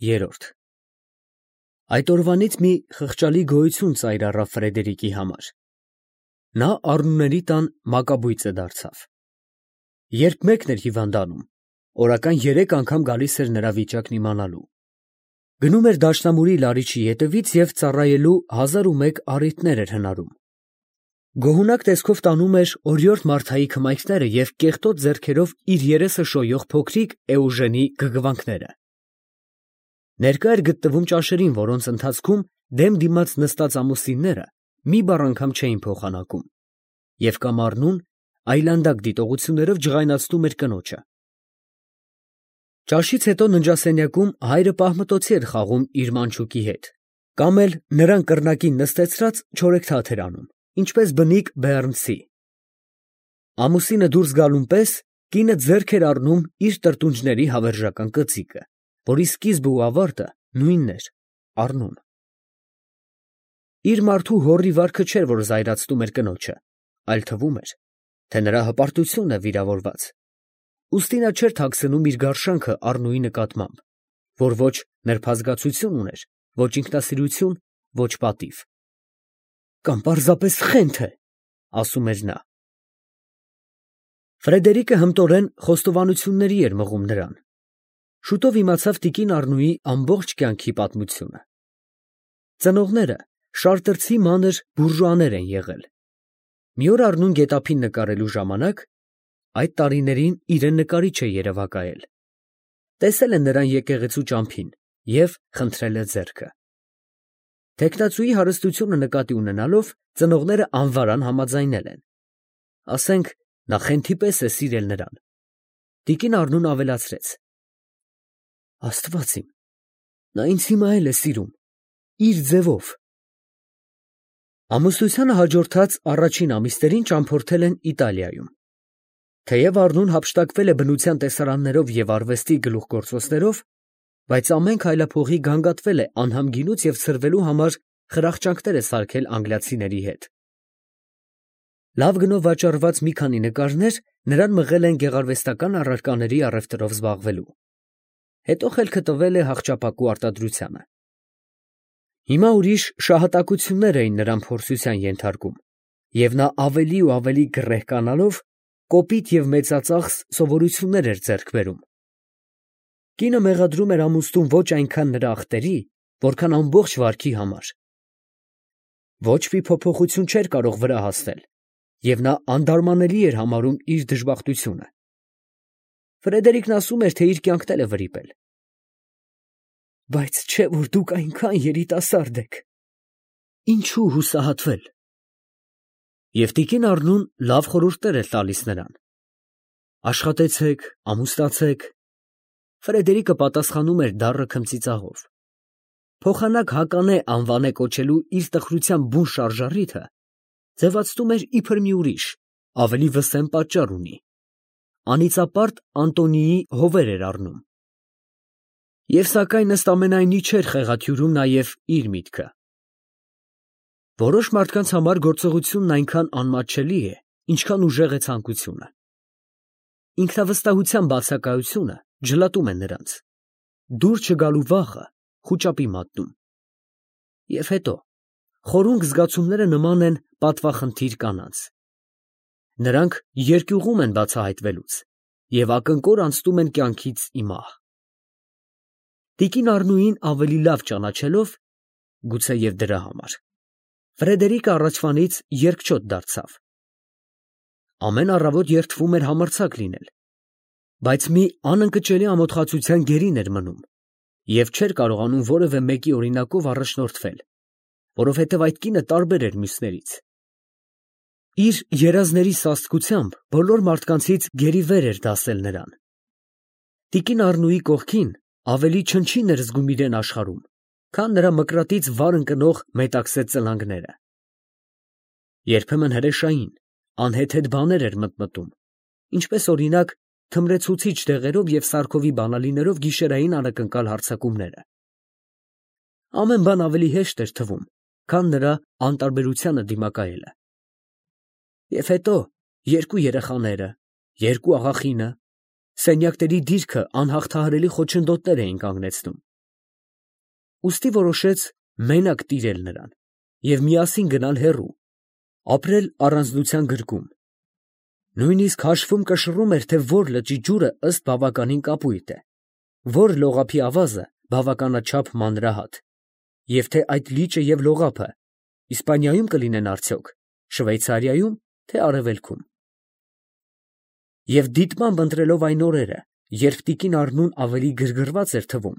3 Այդ օրվանից մի խղճալի գոյություն ծայր առավ Ֆրեդերիկի համար. նա Առնուների տան մակաբույծը դարձավ։ Երբ մեկն էր հիվանդանում, օրական 3 անգամ գալիս էր նրա վիճակն իմանալու։ Գնում էր դաշնամուրի լարիչի ետևից և ծառայելու 1001 առիթներ էր հնարում։ Գոհունակ տեսքով տանում էր օրիորդ Մարթայի քմայքները և կեղտոտ ձեռքերով իր երեսը շոյող փոքրիկ Էուժենի գգվանքները։ Ներկա էր գտնվում ճաշերին, որոնց ընթացքում դեմ դիմաց նստած ամուսինները մի բառ անգամ չէին փոխանակում, և կամ Առնուն այլանդակ դիտողություններով ջղայնացնում էր կնոջը։ Ճաշից հետո ննջասենյակում հայրը պահմտոցի էր խաղում իր մանչուկի հետ, կամ էլ նրան կռնակին նստեցրած չորեքթաթ էր անում, ինչպես բնիկ բեառնցի։ Ամուսինը դուրս գալուն պես կինը ձեռք էր առնում իր տրտունջների հավերժական կծիկը, որի սկիզբը ու ավարտը նույնն էր՝ Առնուն։ Իր մարդու հոռի վարքը չէր, որ զայրացնում էր կնոջը, այլ թվում էր, թե նրա հպարտությունն է վիրավորված, ուստի նա չէր թաքցնում իր գարշանքը Առնուի նկատմամբ, որ ոչ նրբազգացություն ուներ, ոչ ինքնասիրություն, ոչ պատիվ։ «Կամ պարզապես խենթ է», ասում էր նա։ Ֆրեդերիկը հմտորեն խոստովանությունների էր մղում նրան։ Շուտով իմացավ տիկին Առնուի ամբողջ կյանքի պատմությունը։ Ծնողները շարտրցի մանր բուրժուաներ են եղել։ Մի օր Առնուն գետափին նկարելու ժամանակ (այդ տարիներին իրեն նկարիչ է երևակայել) տեսել է նրան եկեղեցու ճամփին և խնդրել է ձեռքը։ Թեկնածուի հարստությունը նկատի ունենալով ծնողները անվարան համաձայնել են։ Ասենք, նա խենթի պես է սիրել նրան։ Տիկին Առնուն ավելացրեց. Աստված իմ, նա ինձ հիմա էլ է սիրում, իր ձևով։ Ամուսնությանը հաջորդած առաջին ամիսներին ճամփորդել են Իտալիայում։ Թեև Առնուն հափշտակվել է բնության տեսարաններով և արվեստի գլուխգործոցներով, բայց ամեն քայլափողի գանգատվել է անհամ գինուց և ցրվելու համար խրախճանքներ է սարքել անգլիացիների հետ։ Լավ գնով վաճառված մի քանի նկարներ նրան մղել են գեղարվեստական առարկաների առևտրով զբաղվելու։ Հետո խելքը տվել է հախճապակու արտադրությանը։ Հիմա ուրիշ շահատակություններ էին նրան փորձության ենթարկում, և նա ավելի ու ավելի գռեհկանալով կոպիտ և մեծածախս սովորություններ էր ձեռք բերում։ Կինը մեղադրում էր ամուսնուն ոչ այնքան նրա ախտերի, որքան ամբողջ վարքի համար։ Ոչ մի փոփոխություն չէր կարող վրա հասնել, և նա անդարմանելի էր համարում իր դժբախտությունը։ Ֆրեդերիկն ասում էր, թե իր կյանքն էլ է վրիպել։ Բայց չէ՞ որ դուք այնքան երիտասարդ եք, ինչու հուսահատվել։ Եվ տիկին Առնուն լավ խորհուրդներ էր տալիս նրան. աշխատեցեք, ամուսնացեք։ Ֆրեդերիկը պատասխանում էր դառը քմծիծաղով։ Փոխանակ Հականե անվանե կոչելու իր տխրության բուն շարժառիթը ձևացնում էր իբր մի ուրիշ, ավելի վսեմ պատճառ ունի. անիծապարտ Անտոնիի հովեր էր առնում։ Եվ սակայն ըստ ամենայնի չէր խեղաթյուրում նաև իր միտքը։ Որոշ մարդկանց համար գործողությունն այնքան անմատչելի է, ինչքան ուժեղ է ցանկությունը։ Ինքնավստահության բացակայությունը ջլատում է նրանց, դուր չգալու վախը խուճապի մատնում։ Եվ հետո խորունկ զգացումները նման են պատվախնդիր կանանց։ Նրանք երկյուղում են բացահայտվելուց և ակնկոր անցնում են կյանքից ի մահ։ Տիկին Առնուին ավելի լավ ճանաչելով, գուցեև դրա համար, Ֆրեդերիկը առաջվանից երկչոտ դարձավ։ Ամեն առավոտ երդվում էր համարձակ լինել, բայց մի անընկճելի ամոթխածության գերին էր մնում և չէր կարողանում որևէ մեկի օրինակով առաջնորդվել, որովհետև այդ կինը տարբեր էր մյուսներից։ Իր երազների սաստկությամբ բոլոր մարդկանցից գերիվեր էր դասել նրան։ Տիկին Առնուի կողքին ավելի չնչին էր զգում իրեն աշխարհում, քան նրա մկրատից վար ընկնող մետաքսե ծլանգները։ Երբեմն հրեշային, անհեթեթ բաներ էր մտմտում, ինչպես օրինակ թմրեցուցիչ դեղերով և սարքովի բանալիներով գիշերային անակնկալ հարձակումները։ Ամեն բան ավելի հեշտ էր թվում, քան նրա անտարբերությանը դիմակայելը։ Եվ հետո երկու երեխաները, երկու աղախինը, սենյակների դիրքը անհաղթահարելի խոչընդոտներ էին կանգնեցնում։ ուստի որոշեց մենակ տիրել նրան և միասին գնալ հեռու, ապրել առանձնության գրկում. նույնիսկ հաշվում կշռում էր, թե որ լճի ջուրը ըստ բավականին կապույտ է, որ լողափի ավազը բավականաչափ մանրահատ, և թե այդ լիճը և լողափը Իսպանիայում կլինեն արդյոք, Շվեյցարիայում, թե Արևելքում։ Եվ դիտմամբ ընտրելով այն օրերը, երբ տիկին Առնուն ավելի գրգռված էր թվում,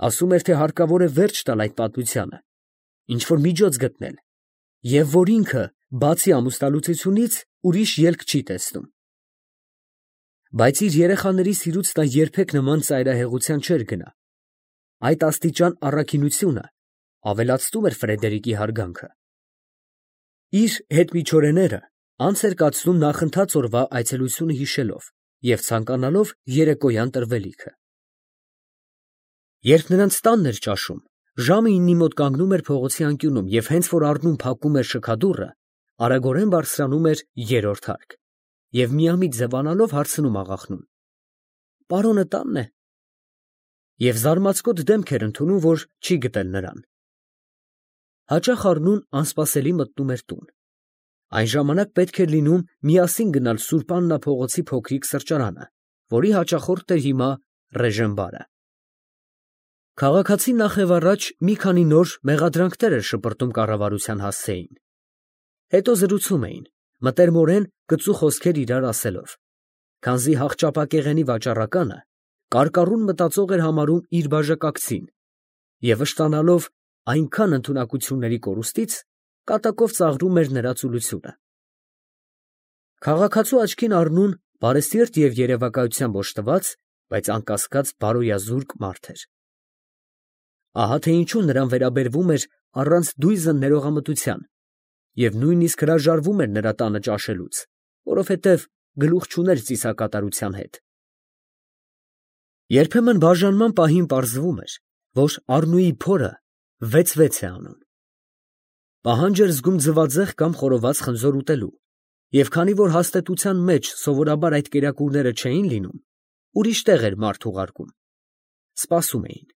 ասում էր, թե հարկավոր է վերջ տալ այդ պատմությանը, ինչ-որ միջոց գտնել, և որ ինքը, բացի ամուսնալուծությունից, ուրիշ ելք չի տեսնում։ Բայց իր երեխաների սիրուց նա երբեք նման ծայրահեղության չէր գնա. այդ աստիճան առաքինությունը ավելացնում էր Ֆրեդերիկի հարգանքը։ Իր հետմիջօրեները անց էր կացնում նախընթաց օրվա այցելությունը հիշելով և ցանկանալով երեկոյան տրվելիքը։ Երբ նրանց տանն էր ճաշում, ժամը 9-ի մոտ կանգնում էր փողոցի անկյունում և հենց որ Առնուն փակում էր շքադուռը, արագորեն բարձրանում էր երրորդ հարկ և միամիտ ձևանալով հարցնում աղախնուն. «Պարոնը տանն է» և զարմացկոտ դեմք էր ընդունում, որ չի գտել նրան։ Հաճախ Առնուն անսպասելի մտնում էր տուն։ Այն ժամանակ պետք էր լինում միասին գնալ Սուրբ Աննա փողոցի փոքրիկ սրճարանը, որի հաճախորդ էր հիմա Ռեժենբարը։ Քաղաքացին նախ և առաջ մի քանի նոր մեղադրանքներ էր շպրտում կառավարության հասցեին։ Հետո զրուցում էին, մտերմորեն կծու խոսքեր իրար ասելով, քանզի հախճապակեղենի վաճառականը կարկառուն մտածող էր համարում իր բաժակակցին և վշտանալով այնքան ընդունակությունների կորուստից, կատակով ծաղրում էր նրա ծուլությունը։ Քաղաքացու աչքին Առնուն բարեսիրտ և երևակայությամբ օժտված, բայց անկասկած բարոյազուրկ մարդ էր։ Ահա թե ինչու նրան վերաբերվում էր առանց դույզն ներողամտության և նույնիսկ հրաժարվում էր նրա տանը ճաշելուց, որովհետև գլուխ չուներ ծիսակատարության հետ։ Երբեմն բաժանման պահին պարզվում էր, որ Առնուի փորը 6-6 է անում։ Պահանջ էր զգում ձվածեղ կամ խորոված խնձոր ուտելու, և քանի որ հաստատության մեջ սովորաբար այդ կերակուրները չէին լինում, ուրիշ տեղ էր մարդ ուղարկում։ Սպասում էին։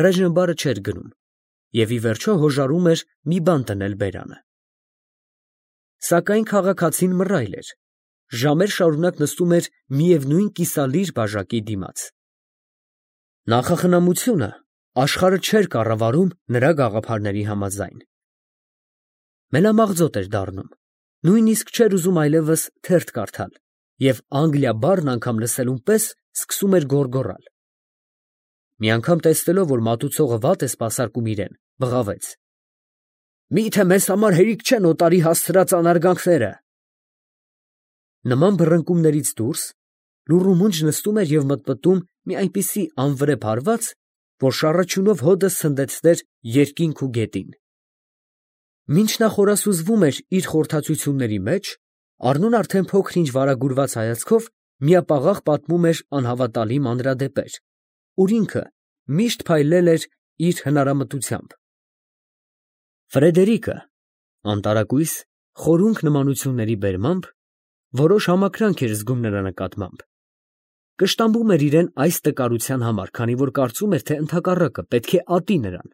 Ռեժենբարը չէր գնում և ի վերջո հոժարում էր մի բան տնել բերանը։ Սակայն քաղաքացին մռայլ էր, ժամեր շարունակ նստում էր միևնույն կիսալիր բաժակի դիմաց։ Նախախնամությունը աշխարհը չէր կառավարում նրա գաղափարների համաձայն։ Մենամաղձոտ էր դառնում, նույնիսկ չէր ուզում այլևս թերթ կարդալ և Անգլիա բառն անգամ լսելուն պես սկսում էր գոռգոռալ։ Մի անգամ տեսնելով, որ մատուցողը վատ է սպասարկում իրեն, բղավեց. «Մի՞թե մեզ համար հերիք չեն օտարի հասցրած անարգանքները»։ Նման բռնկումներից դուրս լուռումունջ նստում էր և մտմտում մի այնպիսի անվրեպ հարված, որ շառաչյունով հոդը սնդեցներ երկինք ու գետին։ Մինչ նա խորասուզվում էր իր խորհրդածությունների մեջ, Առնուն արդեն փոքր-ինչ վարագուրված հայացքով միապաղաղ պատմում էր անհավատալի մանրադեպեր, ուր ինքը միշտ փայլել էր իր հնարամտությամբ։ Ֆրեդերիկը անտարակույս, խորունկ նմանությունների բերմամբ որոշ համակրանք էր զգում նրա նկատմամբ։ Կշտամբում էր իրեն այս տկարության համար, քանի որ կարծում էր, թե ընդհակառակը պետք է ատի նրան։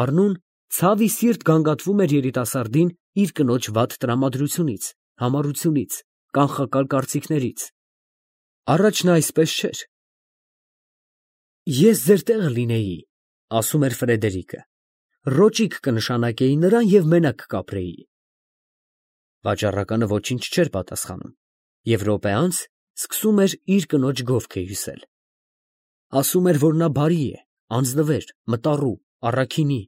Առնուն ցավ ի սիրտ գանգատվում էր երիտասարդին իր կնոջ վատ տրամադրությունից, համառությունից, կանխակալ կարծիքներից։ Առաջ նա այսպես չէր։ «Ես ձեր տեղը լինեի, ֊ ասում էր Ֆրեդերիկը, ֊ ռոճիկ կնշանակեի նրան և մենակ կապրեի»։ Վաճառականը ոչինչ չէր պատասխանում և րոպե անց սկսում էր իր կնոջ գովքը հյուսել։ Ասում էր, որ նա բարի է, անձնվեր, մտառու, առաքինի։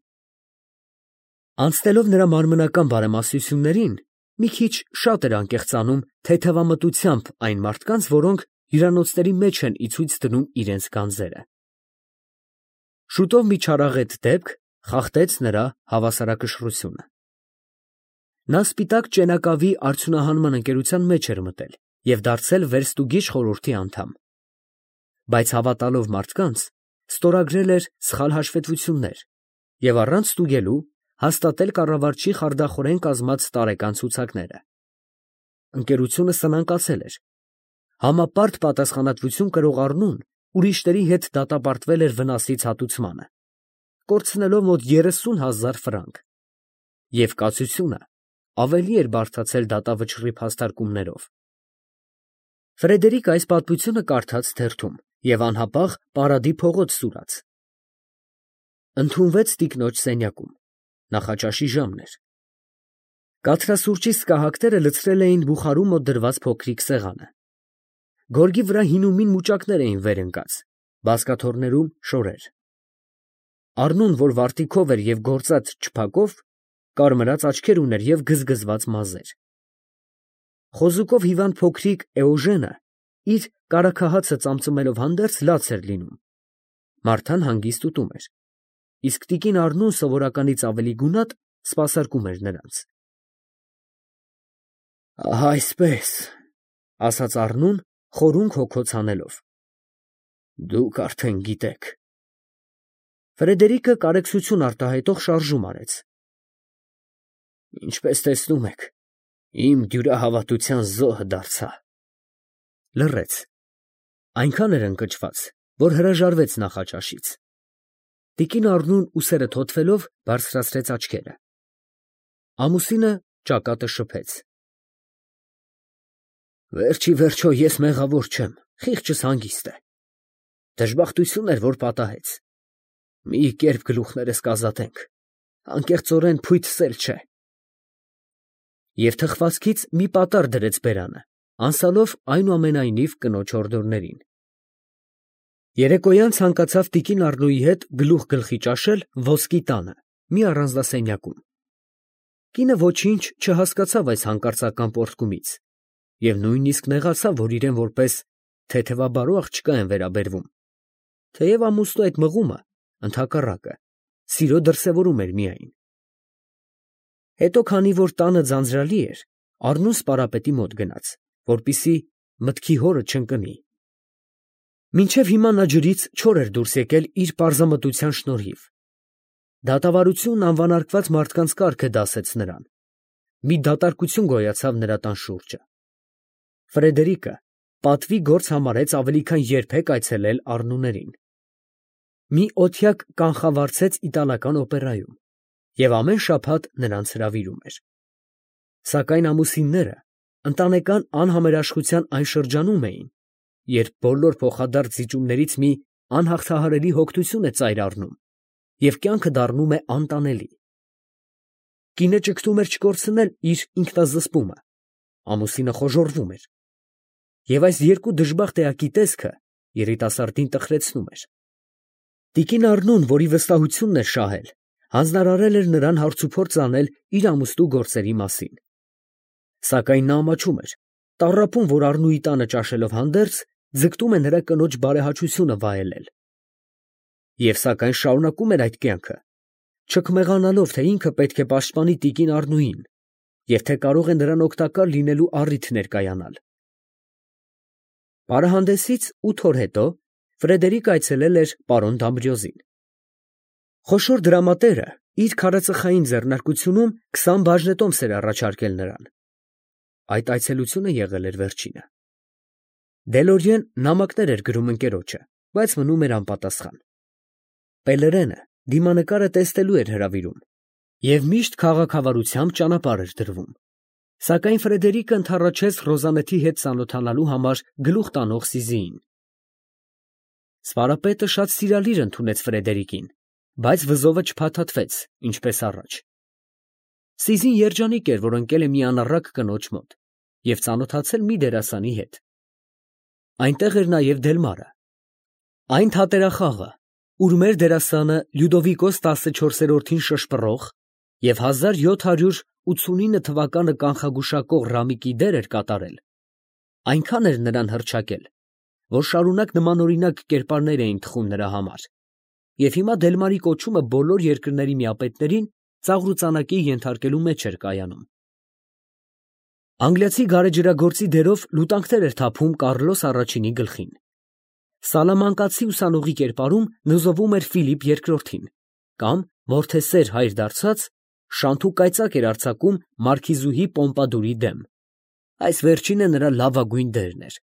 Անցնելով նրա մարմնական բարեմասություններին, մի քիչ շատ էր անկեղծանում թեթևամտությամբ այն մարդկանց, որոնք հյուրանոցների մեջ են ի ցույց դնում իրենց գանձերը։ Շուտով մի չարաղետ դեպք խախտեց նրա հավասարակշռությունը։ Նա սպիտակ ճենակավի արդյունահանման ընկերության մեջ էր մտել և դարձել վերստուգիչ խորհրդի անդամ։ Բայց հավատալով մարդկանց, ստորագրել էր սխալ հաշվետվություններ և առանց ստուգելու հաստատել կառավարչի խարդախորեն կազմած տարեկան ցուցակները։ Ընկերությունը սնանկացել էր։ Համապարտ պատասխանատվություն կրող Առնուն ուրիշների հետ դատապարտվել էր վնասից հատուցմանը, կորցնելով մոտ 30,000 ֆրանկ, և կացությունը ավելի էր բարդացել դատավճռի փաստարկումներով։ Ֆրեդերիկը այս պատմությունը կարդաց թերթում և անհապաղ Պարադի փողոց սուրաց։ Ընդունվեց տիկնոջ սենյակում, նախաճաշի ժամն էր։ Կաթնասուրճի սկահակները լցրել էին բուխարու մոտ դրված փոքրիկ սեղանը։ Գորգի վրա հինումին մուճակներ էին վեր ընկած, բազկաթոռներում շորեր։ Առնուն, որ վարտիքով էր և գործած չփակով, կարմրած աչքեր ուներ և գզգզված մազեր։ Խոզուկով հիվանդ փոքրիկ Էոժենը իր կարագահացը ծամծմելով հանդերձ լաց էր լինում։ Մարթան հանգիստ ուտում էր, իսկ տիկին Առնուն սովորականից ավելի գունատ սպասարկում էր նրանց։ Ահա այսպես, ֊ ասաց Առնուն, խորունգ հոգոց հանելով, ֊ դուք արդեն գիտեք։ Ֆրեդերիկը կարեկցություն արտահայտող շարժում արեց։ Ինչպես տեսնում եք, իմ դյուրահավատության զոհը դարձա։ Լռեց, այնքան էր ընկճված, որ հրաժարվեց նախաճաշից։ Տիկին Առնուն ուսերը թոթվելով բարձրացրեց աչքերը։ Ամուսինը ճակատը շփեց։ Վերջ ի վերջո ես մեղավոր չեմ, խիղճս հանգիստ է։ Դժբախտություն էր, որ պատահեց։ Մի կերպ գլուխներս կազատենք, անկեղծորեն փույթս չէ։ Եվ թխվածքից մի պատառ դրեց բերանը, անցալով այնուամենայնիվ կնոջ հորդորներին։ Երեկոյան ցանկացավ տիկին Առնուի հետ գլուխ գլխի ճաշել ոսկի տանը, մի առանձնասենյակում։ Կինը ոչինչ չհասկացավ այս հանկարծական պոռթկումից և նույնիսկ նեղացավ, որ իրեն որպես թեթևաբարո աղջկա են վերաբերվում, թեև ամուսնու այդ մղումը, ընդհակառակը, սիրո դրսևորում էր միայն։ Հետո, քանի որ տանը ձանձրալի էր, Առնուն սպարապետի մոտ գնաց, որպեսզի մտքի հորը չընկնի։ Մինչև հիմա նա ջրից չոր էր դուրս եկել իր պարզամտության շնորհիվ։ Դատավարությունն անվանարկված մարդկանց կարգը դասեց նրան։ Մի դատարկություն գոյացավ նրա տան շուրջը։ Ֆրեդերիկը պատվի գործ համարեց ավելի քան երբեք այցելել Առնուներին։ Մի օթյակ կանխավարձեց իտալական օպերայում և ամեն շաբաթ նրանց հրավիրում էր։ Սակայն ամուսինները ընտանեկան անհամերաշխության այն շրջանում էին, երբ բոլոր փոխադարձ զիջումներից մի անհաղթահարելի հոգնություն է ծայր առնում և կյանքը դառնում է անտանելի։ Կինը ճգտում էր չկորցնել իր ինքնազսպումը, ամուսինը խոժոռվում էր։ Եվ այս երկու դժբախտ էակի տեսքը երիտասարդին տխրեցնում էր։ Տիկին Առնուն, որի վստահությունն էր շահել, հանձնարարել էր նրան հարցուփորձ անել իր ամուսնու գործերի մասին։ Սակայն նա ամաչում էր, տառապում, որ Առնուի տանը ճաշելով հանդերձ ձգտում է նրա կնոջ բարեհաճությունը վայելել։ Եվ սակայն շարունակում էր այդ կյանքը, չքմեղանալով, թե ինքը պետք է պաշտպանի տիկին Առնուին և թե կարող է նրան օգտակար լինելու առիթ ներկայանալ։ Պարահանդեսից 8 օր հետո Ֆրեդերիկը այցելել էր պարոն Դամբրիոզին։ Խոշոր դրամատերը իր քարածխային ձեռնարկությունում 20 բաժնետոմս էր առաջարկել նրան։ Այդ այցելությունը եղել էր վերջինը։ Դելորիեն նամակներ էր գրում ընկերոջը, բայց մնում էր անպատասխան։ Պելերենը դիմանկարը տեսնելու էր հրավիրում և միշտ քաղաքավարությամբ ճանապարհ էր դրվում։ Սակայն Ֆրեդերիկը ընդառաջեց Ռոզանետի հետ ծանոթանալու համար գլուխ տանող Սիզիին։ Սպարապետը շատ սիրալիր ընդունեց Ֆրեդերիկին, բայց վզովը չփաթաթվեց, ինչպես առաջ։ Սիզին երջանիկ էր, որ ընկել է մի անառակ կնոջ մոտ և ծանոթացել մի դերասանի հետ։ Այնտեղ էր նաև Դելմարը, այն թատերախաղը, ուր մեր դերասանը Լյուդովիկոս 14-րդին շշպռող և 1789 թվականը կանխագուշակող Ռամիկի դեր էր կատարել, այնքան էր նրան հռչակել, որ շարունակ նմանօրինակ կերպարներ էին թխում նրա համար, և հիմա Դելմարի կոչումը բոլոր երկրների միապետերին ծաղրուծանակի ենթարկելու մեջ էր կայանում։ Անգլիացի գարեջրագործի դերով լուտանքներ էր թափում Կառլոս առաջինի գլխին։ Սալամանկացի ուսանողի կերպարում նզովում էր Ֆիլիպ II-ին, կամ որդեսեր հայր դարձած շանթու կայծակ էր արձակում մարքիզուհի Պոմպադուրի դեմ։ Այս վերջինը նրա լավագույն դերն էր։